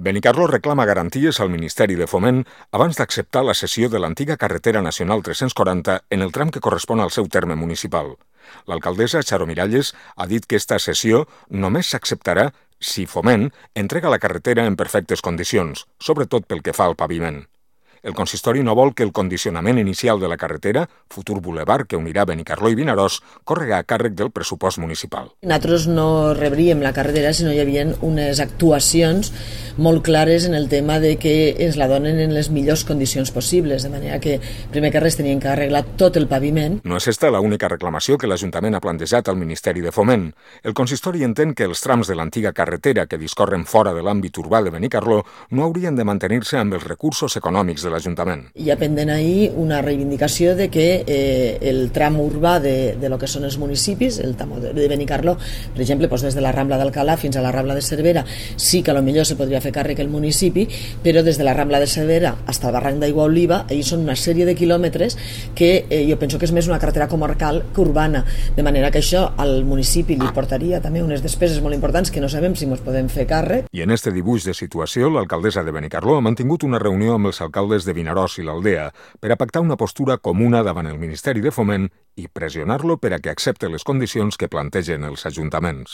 Benicarló reclama garanties al Ministeri de Foment abans d'acceptar la cessió de l'antiga carretera nacional 340 en el tram que correspon al seu terme municipal. L'alcaldessa Charo Miralles ha dit que esta cessió només s'acceptarà si Foment entrega la carretera en perfectes condicions, sobretot pel que fa al paviment. El consistori no vol que el condicionament inicial de la carretera, futur bulevard que unirà Benicarló i Vinaròs, córrega a càrrec del pressupost municipal. Nosaltres no rebríem la carretera si no hi havia unes actuacions molt clares en el tema de que ens la donen en les millors condicions possibles, de manera que, primer que res, tenien que arreglar tot el paviment. No és esta l'única reclamació que l'Ajuntament ha plantejat al Ministeri de Foment. El consistori entén que els trams de l'antiga carretera que discorren fora de l'àmbit urbà de Benicarló no haurien de mantenir-se amb els recursos econòmics de l'Ajuntament. Hi ha pendent ahir una reivindicació de que el tram urbà de lo que són els municipis, el tram de Benicarló, per exemple, des de la Rambla d'Alcalà fins a la Rambla de Cervera, sí que potser se podria fer càrrec el municipi, però des de la Rambla de Cervera fins al barranc d'Aigua Oliva, ahir són una sèrie de quilòmetres que jo penso que és més una carretera comarcal que urbana, de manera que això al municipi li portaria també unes despeses molt importants que no sabem si ens podem fer càrrec. I en este dibuix de situació, l'alcaldessa de Benicarló ha mantingut una reunió amb els alcaldes de Vinaròs i l'Aldea per a pactar una postura comuna davant el Ministeri de Foment i pressionar-lo per a que accepte les condicions que plantegen els ajuntaments.